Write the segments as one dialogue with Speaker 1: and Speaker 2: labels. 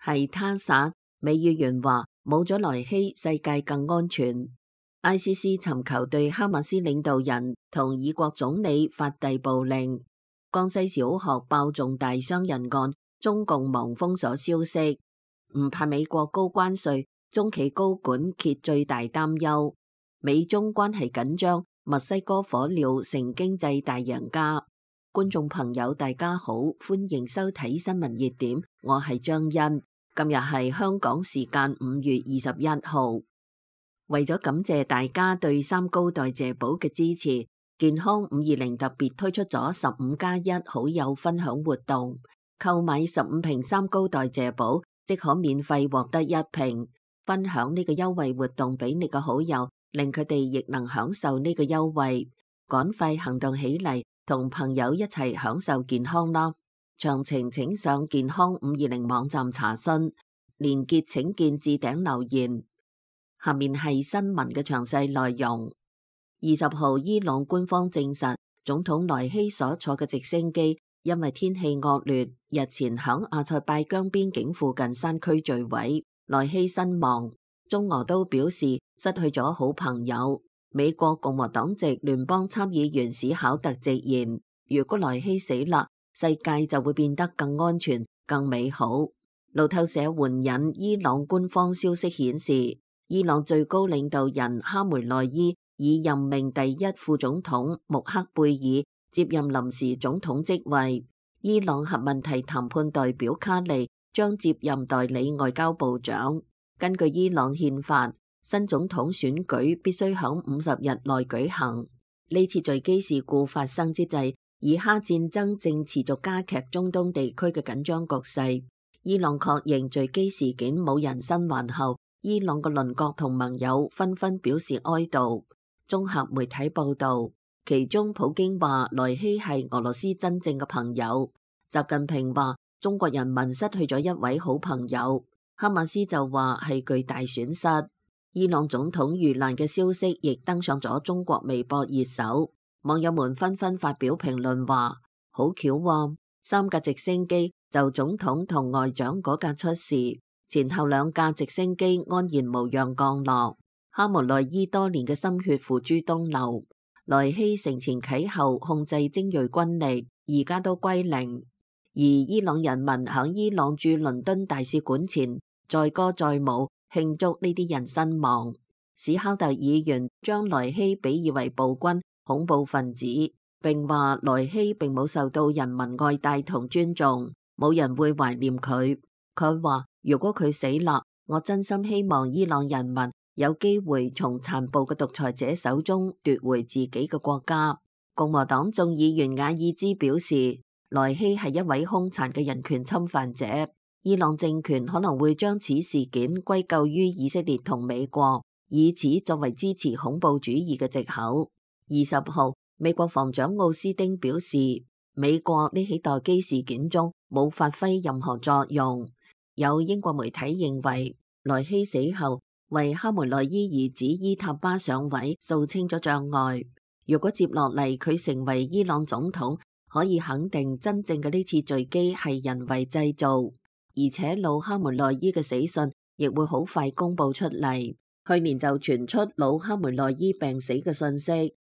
Speaker 1: 係他殺。美議員話冇咗萊希，世界更安全。ICC 尋求對哈馬斯領導人同以國總理發逮捕令。江西小學爆重大傷人案，中共忙封鎖消息。唔怕美國高關稅，中企高管揭最大擔憂。美中關係緊張，墨西哥火鳥成經濟大贏家。觀眾朋友大家好，歡迎收睇新聞熱點，我係張欣。今日係香港時間5月21號。為咗感謝大家對三高代謝寶嘅支持，健康520特別推出咗15+1好友分享活動，購買15瓶三高代謝寶，即可免費獲得1瓶。分享呢個優惠活動俾你嘅好友，令佢哋亦能享受呢個優惠。趕快行動起嚟，同朋友一齊享受健康啦！詳情請上健康520網站查詢，連結請見置頂留言。下面係新聞嘅詳細內容。20號，伊朗官方證實，總統萊希所坐嘅直升機因為天氣惡劣，日前響阿塞拜疆邊境附近山區墜毀，萊希身亡。中俄都表示失去咗好朋友。美國共和黨籍聯邦參議員史考特直言，如果萊希死啦，世界就會變得更安全、更美好。路透社援引伊朗官方消息顯示，伊朗最高領導人哈梅內伊已任命第一副總統穆克貝爾接任臨時總統職位，伊朗核問題談判代表卡利將接任代理外交部長。根據伊朗憲法，新總統選舉必須響50日內舉行。呢次墜機事故發生之際，以哈戰爭正持續加劇中東地區嘅緊張局勢。伊朗確認墜機事件冇人身亡後，伊朗嘅鄰國同盟友紛紛表示哀悼。綜合媒體報道，其中普京話萊希係俄羅斯真正嘅朋友。習近平話中國人民失去咗一位好朋友。哈馬斯就話係巨大損失。伊朗總統遇難嘅消息亦登上咗中國微博熱搜，網友們紛紛發表評論話：好巧喎，3架直升機就總統同外長嗰架出事，前後2架直升機安然無恙降落。哈梅內伊多年嘅心血付諸東流，萊希承前啟後控制精銳軍力，而家都歸零。而伊朗人民響伊朗駐倫敦大使館前載歌載舞慶祝呢啲人身亡。史考特議員將萊希比喻為暴君、恐怖分子，並話萊希並冇受到人民愛戴同尊重，冇人會懷念佢。佢話如果佢死啦，我真心希望伊朗人民有機會從殘暴嘅獨裁者手中奪回自己嘅國家。共和黨眾議員瓦爾茲表示，萊希係一位兇殘嘅人權侵犯者。伊朗政權可能會將此事件歸咎於以色列同美國，以此作為支持恐怖主義嘅藉口。20號，美國防長奧斯丁表示，美國呢起墜機事件中冇發揮任何作用。有英國媒體認為，萊希死後為哈梅內伊兒子伊塔巴上位掃清咗障礙。如果接落嚟佢成為伊朗總統，可以肯定真正嘅呢次墜機係人為製造。而且老哈梅內伊嘅死訊亦會好快公布出嚟。去年就傳出老哈梅內伊病死嘅信息，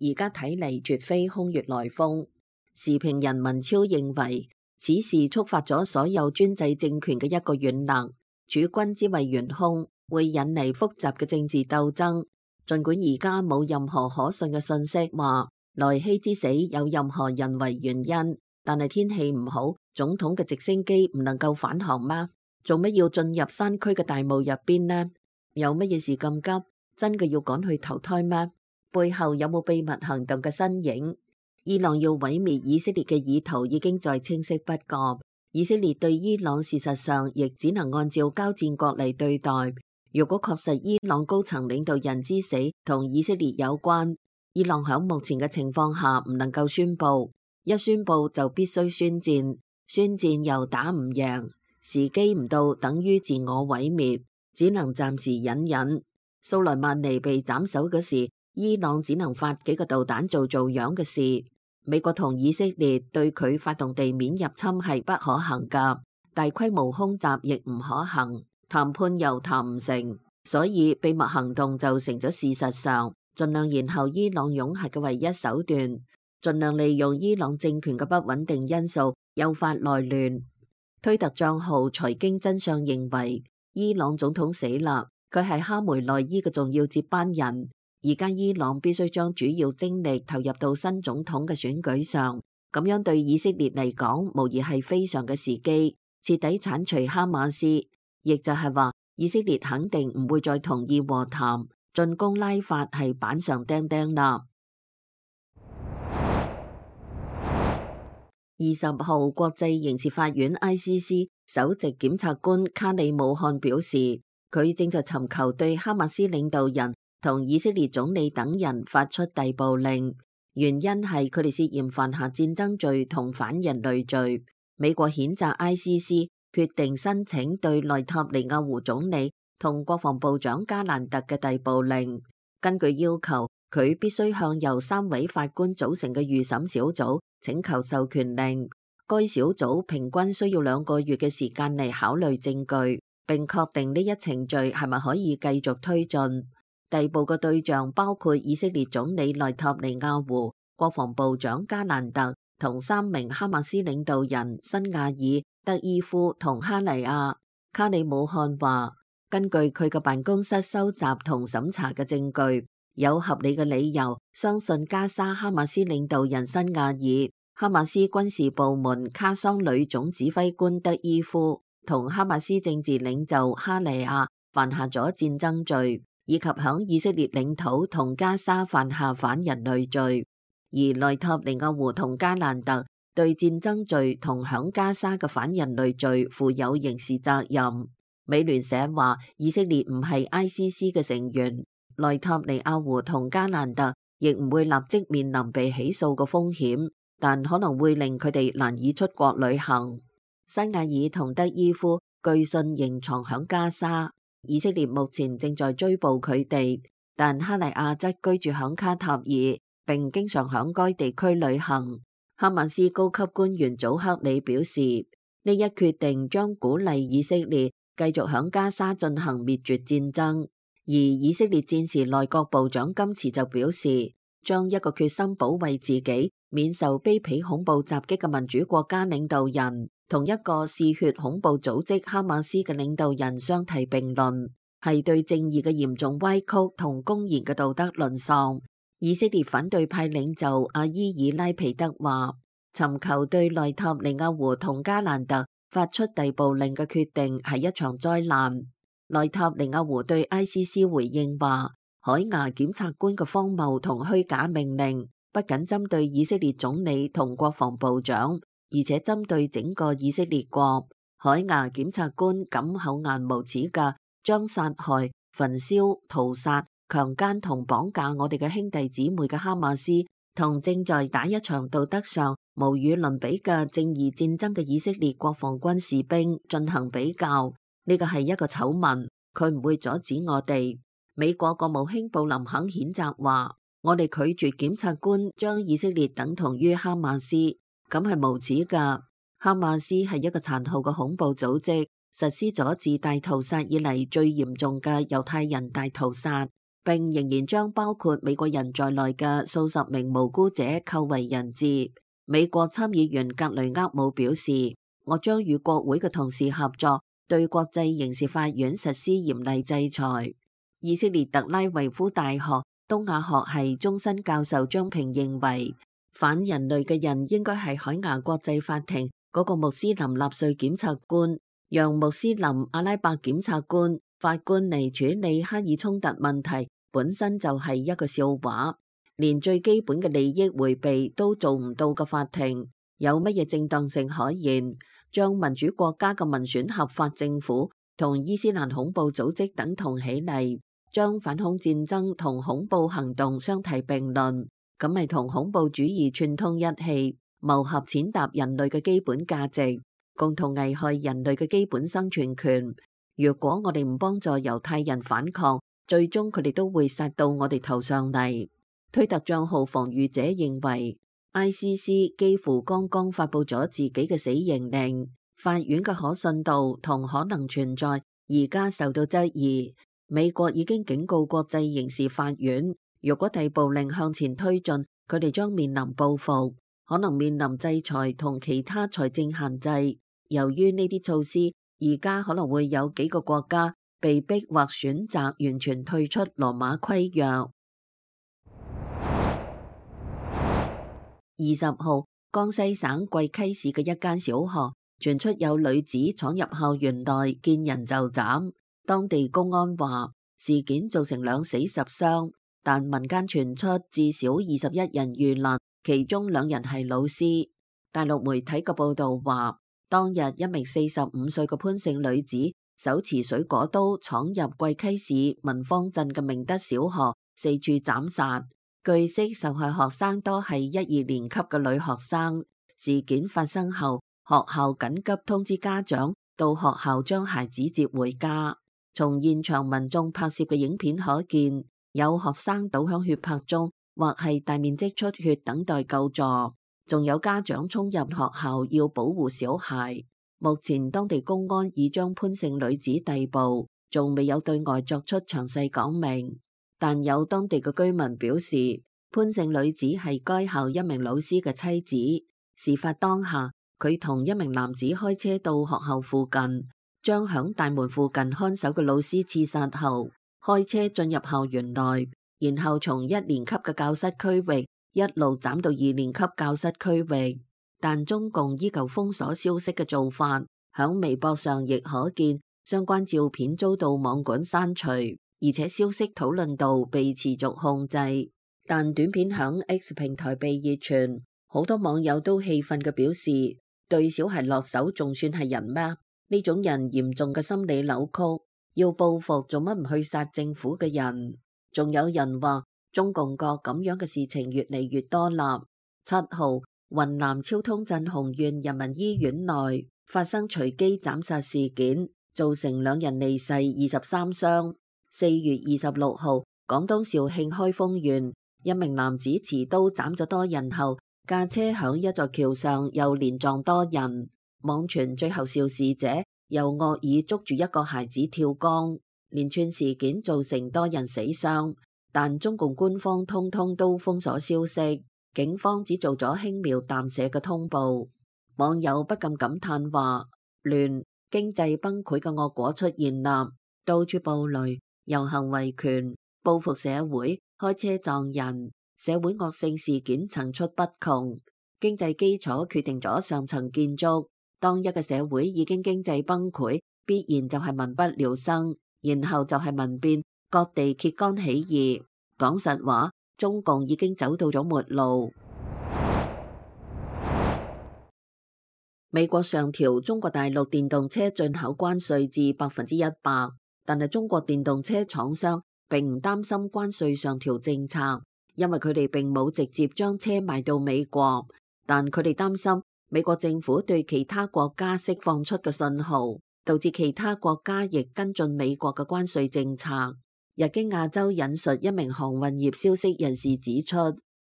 Speaker 1: 而家睇嚟絕非空穴來風。時評人文超認為，此事觸發咗所有專制政權嘅一個軟肋，處君之位懸空，會引嚟複雜嘅政治鬥爭。儘管而家冇任何可信嘅信息話萊希之死有任何人為原因，但係天氣唔好，總統嘅直升機唔能夠返航嗎？做乜要進入山區嘅大霧入邊呢？有乜嘢事咁急？真嘅要趕去投胎咩？背後有冇秘密行動嘅身影？伊朗要毀滅以色列嘅意圖已經再清晰不過。以色列對伊朗事實上亦只能按照交戰國嚟對待。如果確實伊朗高層領導人之死同以色列有關，伊朗響目前嘅情況下唔能夠宣佈，一宣佈就必須宣戰，宣戰又打唔贏，時機唔到等於自我毀滅，只能暫時忍忍。蘇萊曼尼被斬首嗰時，伊朗只能發幾個導彈做樣嘅事。美國同以色列對佢發動地面入侵係不可行㗎，大規模空襲亦唔可行，談判又談唔成，所以秘密行動就成咗事實上盡量延後伊朗擁核嘅唯一手段，盡量利用伊朗政權嘅不穩定因素誘發內亂。推特帳號財經真相認為，伊朗總統死啦，佢係哈梅內伊嘅重要接班人，而家伊朗必須將主要精力投入到新總統嘅選舉上，咁樣對以色列嚟講無疑係非常嘅時機，徹底剷除哈馬斯，亦就係話以色列肯定唔會再同意和談，進攻拉法係板上釘釘啦。20號，國際刑事法院 ICC 首席檢察官卡里姆漢表示，佢正在尋求對哈馬斯領導人同以色列總理等人發出逮捕令，原因係佢哋涉嫌犯下戰爭罪同反人類罪。美國譴責 ICC 決定申請對內塔尼亞胡總理同國防部長加蘭特嘅逮捕令，根據要求，佢必須向由3位法官組成嘅預審小組請求授權令。該小組平均需要2個月嘅時間嚟考慮證據，並確定呢一程序係咪可以繼續推進。逮捕嘅對象包括以色列總理內塔尼亞胡、國防部長加蘭特同3名哈馬斯領導人辛亞爾、德伊夫同哈尼亞。卡里姆漢話，根據佢嘅辦公室收集同審查嘅證據，有合理嘅理由相信加沙哈馬斯領導人辛亞爾、哈馬斯軍事部門卡桑旅總指揮官德伊夫同哈馬斯政治領袖哈尼亞犯下咗戰爭罪，以及響以色列領土同加沙犯下反人類罪。而內塔尼亞胡同加蘭特對戰爭罪同響加沙嘅反人類罪負有刑事責任。美聯社話，以色列唔係 ICC 嘅成員，內塔尼亞胡同加蘭特亦唔會立即面臨被起訴嘅風險，但可能會令佢哋難以出國旅行。辛亞爾同德伊夫據信仍藏響加沙，以色列目前正在追捕佢哋，但哈尼亞則居住響卡塔爾，並經常響該地區旅行。哈馬斯高級官員祖克里表示，呢一決定將鼓勵以色列繼續響加沙進行滅絕戰爭。而以色列戰時內閣部長金茨就表示，將一個決心保衛自己免受卑鄙恐怖襲擊嘅民主國家領導人同一個嗜血恐怖組織哈馬斯嘅領導人相提並論，係對正義嘅嚴重歪曲同公然嘅道德淪喪。以色列反對派領袖阿伊爾拉皮德話，尋求對內塔尼亞胡同加蘭特發出逮捕令嘅決定係一場災難。內塔尼亞胡對 ICC 回應話，海牙檢察官嘅荒謬同虛假命令不僅針對以色列總理同國防部長，而且針對整個以色列國。海牙檢察官敢厚顏無恥嘅將殺害、焚燒、屠殺、強姦同綁架我哋嘅兄弟姊妹嘅哈馬斯，同正在打一場道德上無與倫比嘅正義戰爭嘅以色列國防軍士兵進行比較，呢個係一個醜聞，佢唔會阻止我哋。美國國務卿布林肯譴責話，我哋拒絕檢察官將以色列等同於哈馬斯，咁係無恥㗎。哈馬斯係一個殘酷嘅恐怖組織，實施咗自大屠殺以嚟最嚴重嘅猶太人大屠殺，並仍然將包括美國人在內嘅數十名無辜者扣為人質。美國參議員格雷厄姆表示，我將與國會嘅同事合作，對國際刑事法院實施嚴厲制裁。以色列特拉維夫大學東亞學系終身教授張平認為，反人類嘅人應該係海牙國際法庭嗰個穆斯林納粹檢察官，讓穆斯林阿拉伯檢察官法官嚟處理哈以衝突問題，本身就係一個笑話。連最基本嘅利益迴避都做唔到嘅法庭，有乜嘢正當性可言？將民主國家嘅民選合法政府同伊斯蘭恐怖組織等同起嚟，將反恐戰爭同恐怖行動相提並論，咁咪同恐怖主義串通一氣，謀合踐踏人類嘅基本價值，共同危害人類嘅基本生存權。如果我哋唔幫助猶太人反抗，最終佢哋都會殺到我哋頭上嚟。推特帳號防禦者認為，ICC 幾乎剛剛發佈咗自己嘅死刑令，法院嘅可信度同可能存在而家受到質疑。美國已經警告國際刑事法院，如果逮捕令向前推進，佢哋將面臨報復，可能面臨制裁同其他財政限制。由於呢啲措施，而家可能會有幾個國家被逼或選擇完全退出羅馬規約。20號，江西省貴溪市嘅一間小學傳出有女子闖入校園內見人就斬，當地公安話事件造成2死10傷，但民間傳出至少21人遇難，其中2人係老師。大陸媒體嘅報道話，當日一名45歲嘅潘姓女子手持水果刀闖入貴溪市文芳鎮嘅明德小學，四處斬殺。據悉，受害學生多係1、2年級嘅女學生。事件發生後，學校緊急通知家長到學校將孩子接回家。從現場民眾拍攝嘅影片可見，有學生倒響血泊中，或係大面積出血等待救助，仲有家長衝入學校要保護小孩。目前當地公安已將潘姓女子逮捕，仲未有對外作出詳細講明。但有當地嘅居民表示，潘姓女子係該校一名老師嘅妻子。事發當下，佢同一名男子開車到學校附近，將響大門附近看守嘅老師刺殺後，開車進入校園內，然後從1年級嘅教室區域一路斬到2年級教室區域。但中共依舊封鎖消息嘅做法，響微博上亦可見相關照片遭到網管刪除。而且消息討論度被持續控制，但短片響 X 平台被熱傳，好多網友都氣憤嘅表示，對小孩落手仲算係人咩？呢種人嚴重嘅心理扭曲，要報復做乜唔去殺政府嘅人？仲有人話中共國咁樣嘅事情越嚟越多啦。7號，雲南昭通鎮紅縣人民醫院內發生隨機斬殺事件，造成2人離世，23傷。4月26號，廣東肇慶開封縣一名男子持刀斬咗多人後，駕車響一座橋上又連撞多人。網傳最後肇事者又惡意捉住一個孩子跳江，連串事件造成多人死傷。但中共官方通通都封鎖消息，警方只做咗輕描淡寫嘅通報。網友不禁感嘆話：亂，經濟崩潰嘅惡果出現啦，到處暴雷。遊行維權、報復社會、開車撞人，社會惡性事件層出不窮。經濟基礎決定咗上層建築。當一個社會已經經濟崩潰，必然就係民不聊生，然後就係民變，各地揭竿起義。講實話，中共已經走到咗末路。美國上調中國大陸電動車進口關稅至100%。但係中國電動車廠商並唔擔心關稅上調政策，因為佢哋並冇直接將車賣到美國，但佢哋擔心美國政府對其他國家釋放出嘅信號，導致其他國家亦跟進美國嘅關稅政策。日經亞洲引述一名航運業消息人士指出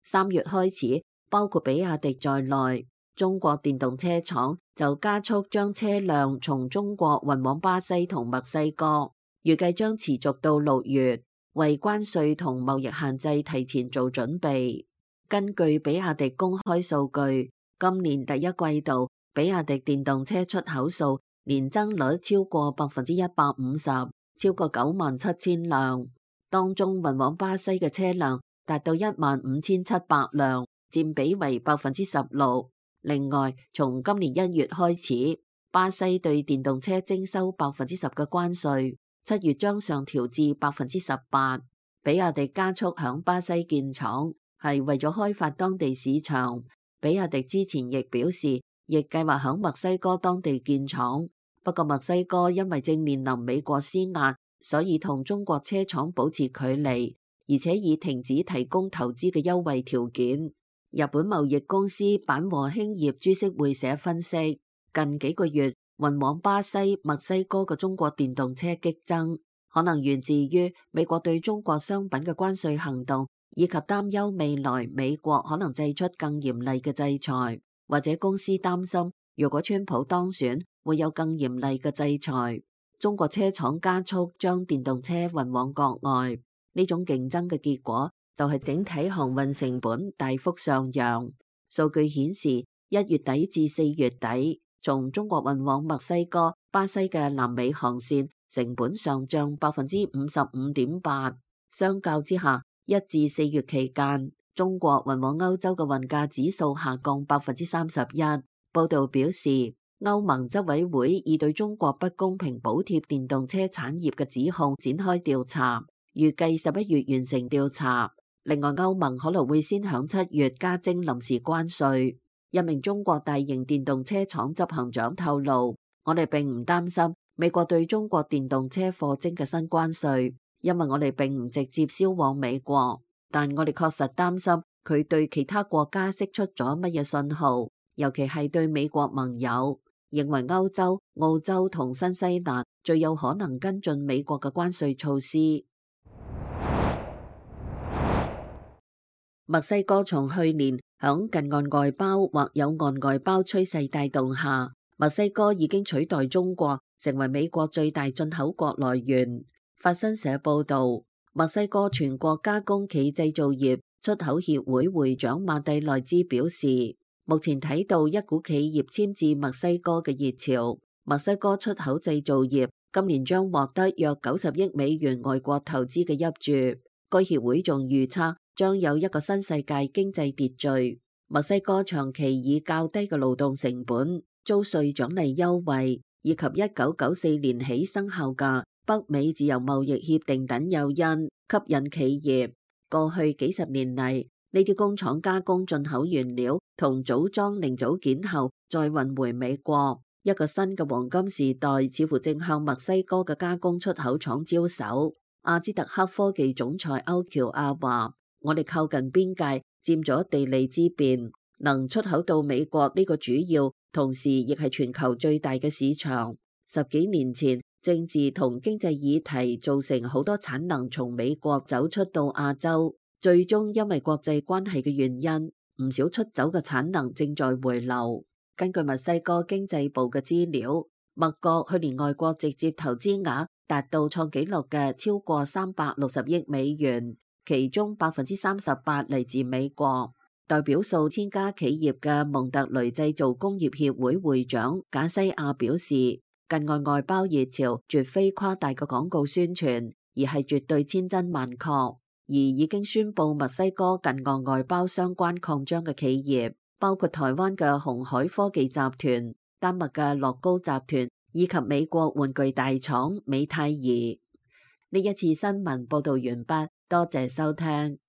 Speaker 1: ，3月開始，包括比亞迪在內，中國電動車廠就加速將車輛從中國運往巴西同墨西哥。預計將持續到6月，為關稅同貿易限制提前做準備。根據比亞迪公開數據，今年第一季度，比亞迪電動車出口數年增率超過150%，超過97,000輛。當中運往巴西嘅車輛達到15,700輛，佔比為16%。另外，從今年1月開始，巴西對電動車徵收10%嘅關稅。7月將上調至18%。比亞迪加速響巴西建廠，係為咗開發當地市場。比亞迪之前亦表示，亦計劃響墨西哥當地建廠。不過墨西哥因為正面臨美國施壓，所以同中國車廠保持距離，而且已停止提供投資嘅優惠條件。日本貿易公司板和興業株式會社分析，近幾個月運往巴西、墨西哥嘅中國電動車激增，可能源自於美國對中國商品嘅關稅行動，以及擔憂未來美國可能祭出更嚴厲嘅制裁，或者公司擔心如果川普當選，會有更嚴厲嘅制裁。中國車廠加速將電動車運往國外，呢種競爭嘅結果就係整體航運成本大幅上揚。數據顯示，1月底至4月底，從中國運往墨西哥、巴西嘅南美航線成本上漲55.8%。相較之下，1至4月期間，中國運往歐洲嘅運價指數下降31%。報道表示，歐盟執委會已對中國不公平補貼電動車產業嘅指控展開調查，預計11月完成調查。另外，歐盟可能會先響7月加徵臨時關稅。一名中國大型電動車廠執行長透露，我哋並唔擔心美國對中國電動車課徵嘅新關稅，因為我哋並唔直接銷往美國，但我哋確實擔心佢對其他國家釋出咗乜嘢信號，尤其係對美國盟友，認為歐洲、澳洲同新西蘭最有可能跟進美國嘅關稅措施。墨西哥從去年響近岸外包或有岸外包趨勢帶動下，墨西哥已經取代中國成為美國最大進口國來源。法新社報道，墨西哥全國加工企製造業出口協會會長馬蒂內茲表示，目前睇到一股企業遷至墨西哥嘅熱潮。墨西哥出口製造業今年將獲得約90億美元外國投資嘅挹注。該協會仲預測將有一個新世界經濟秩序。墨西哥長期以較低嘅勞動成本、租稅獎勵優惠以及1994年起生效嘅北美自由貿易協定等誘因吸引企業。過去幾十年嚟，呢啲工廠加工進口原料同組裝零組件後再運回美國。一個新嘅黃金時代似乎正向墨西哥嘅加工出口廠招手。阿茲特克科技總裁歐喬亞話：我哋靠近邊界，佔咗地利之便，能出口到美國呢個主要，同時亦係全球最大嘅市場。10幾年前，政治同經濟議題造成好多產能從美國走出到亞洲，最終因為國際關係嘅原因，唔少出走嘅產能正在回流。根據墨西哥經濟部嘅資料，墨國去年外國直接投資額達到創紀錄嘅超過360億美元，其中38%嚟自美國。代表數千家企業嘅蒙特雷製造工業協會會長賈西亞表示，近岸外包熱潮絕非誇大嘅廣告宣傳，而係絕對千真萬確。而已經宣布墨西哥近岸外包相關擴張嘅企業，包括台灣嘅鴻海科技集團、丹麥嘅樂高集團以及美國玩具大廠美泰兒。呢一次新聞報道完畢，多謝收聽。